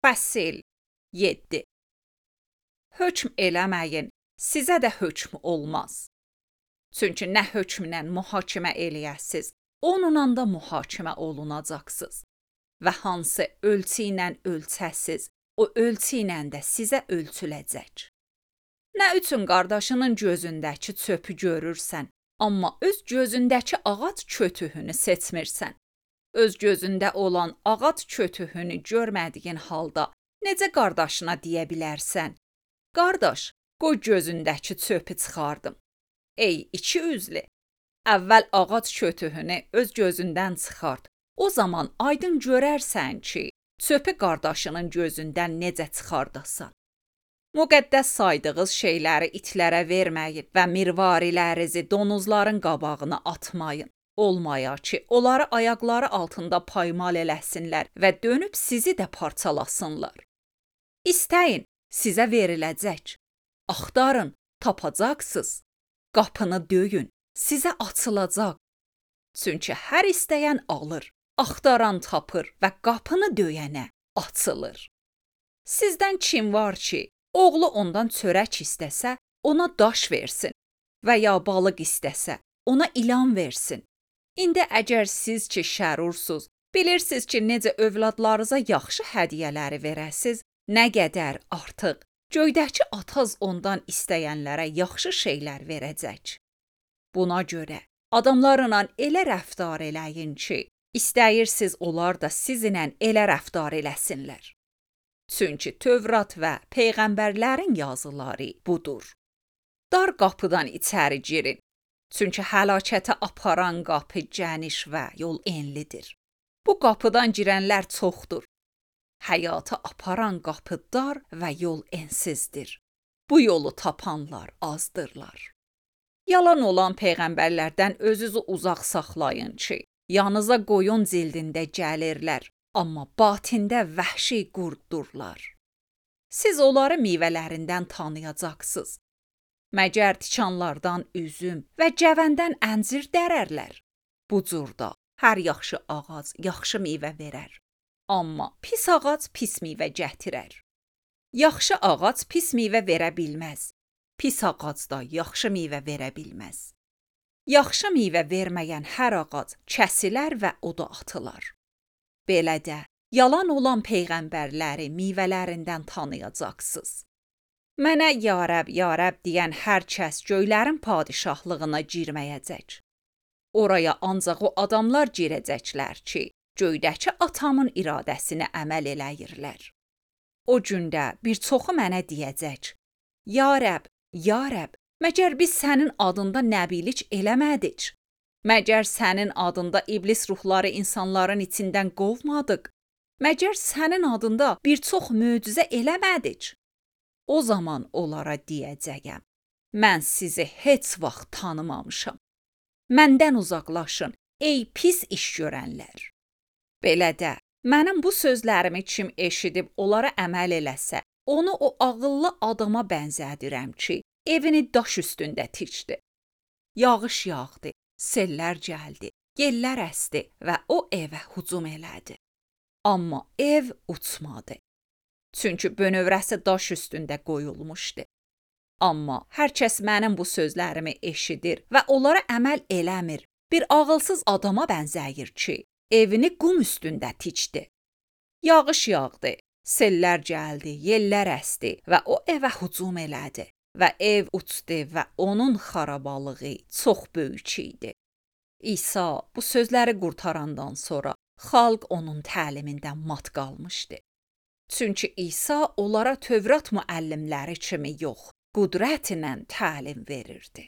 Fəsil 7. Hökm eləməyin, sizə də hökm olmaz. Çünki nə hökmlə mühakimə eləyəsiz, onunla da mühakimə olunacaqsınız. Və hansı ölçü ilə ölçəsiz, o ölçü ilə də sizə ölçüləcək. Nə üçün qardaşının gözündəki çöpü görürsən, amma öz gözündəki ağac kötüyünü seçmirsən? Öz gözündə olan ağac kötüyünü görmədiyin halda necə qardaşına deyə bilərsən? Qardaş, qoy gözündəki çöpü çıxardım. Ey iki üzlü, əvvəl ağac kötüyünü öz gözündən çıxart. O zaman aydın görərsən ki, çöpü qardaşının gözündən necə çıxardasan. Müqəddəs saydığınız şeyləri itlərə verməyin və mirvarilərinizi donuzların qabağına atmayın. Olmaya ki, onları ayaqları altında paymal eləsinlər və dönüb sizi də parçalasınlar. İstəyin, sizə veriləcək. Axtarın, tapacaqsınız. Qapını döyün, sizə açılacaq. Çünki hər istəyən alır, axtaran tapır və qapını döyənə açılır. Sizdən kim var ki, oğlu ondan çörək istəsə, ona daş versin və ya balıq istəsə, ona ilan versin. İndi əgər siz ki şərursuz, bilirsiniz ki, necə övladlarınıza yaxşı hədiyyələri verəsiz, nə qədər artıq göydəki ataz ondan istəyənlərə yaxşı şeylər verəcək. Buna görə adamlarla elə rəftar eləyin ki, istəyirsiniz onlar da sizinlə elə rəftar eləsinlər. Çünki Tövrat və peyğəmbərlərin yazıları budur. Dar qapıdan içəri girin. Çünki həlakətə aparan qapı geniş və yol enlidir. Bu qapıdan girənlər çoxdur. Həyata aparan qapı dar və yol ensizdir. Bu yolu tapanlar azdırlar. Yalan olan peyğəmbərlərdən özünüzü uzaq saxlayın ki, yanınıza qoyun cildində gəlirlər, amma batində vəhşi qurddurlar. Siz onları meyvələrindən tanıyacaqsınız. Məgər tikanlardan üzüm və cəvəndən əncir dərərlər. Bu cürdə hər yaxşı ağac yaxşı meyvə verər. Amma pis ağac pis meyvə gətirər. Yaxşı ağac pis meyvə verə bilməz. Pis ağac da yaxşı meyvə verə bilməz. Yaxşı meyvə verməyən hər ağac kəsilər və oda atılar. Belə də yalan olan peyğəmbərləri meyvələrindən tanıyacaqsınız. Mənə ya Rəbb deyən hər kəs göylərin padişahlığına girməyəcək. Oraya ancaq o adamlar girəcəklər ki, göydəki atamın iradəsinə əməl eləyirlər. O gündə bir çoxu mənə deyəcək: Ya Rəbb, məgər biz sənin adında nəbilik eləmədik? Məgər sənin adında iblis ruhları insanların içindən qovmadıq? Məgər sənin adında bir çox möcüzə eləmədik? O zaman onlara deyəcəyəm: mən sizi heç vaxt tanımamışam. Məndən uzaqlaşın, ey pis iş görənlər. Belə də, mənim bu sözlərimi kim eşidib onlara əməl eləsə, onu o ağıllı adama bənzədirəm ki, evini daş üstündə tikdi. Yağış yağdı, sellər gəldi, yellər əsdi və o evə hücum elədi. Amma ev uçmadı. Çünki bönövrəsi daş üstündə qoyulmuşdu. Amma hər kəs mənim bu sözlərimi eşidir və onlara əməl eləmir. Bir ağılsız adama bənzəyir ki, evini qum üstündə tikdi. Yağış yağdı, sellər gəldi, yellər əsdi və o evə hücum elədi. Və ev uçdu və onun xarabalığı çox böyük idi. İsa bu sözləri qurtarandan sonra xalq onun təlimindən mat qalmışdı. Çünki İsa onlara Tövrat müəllimləri kimi yox, qüdrətlə təlim verirdi.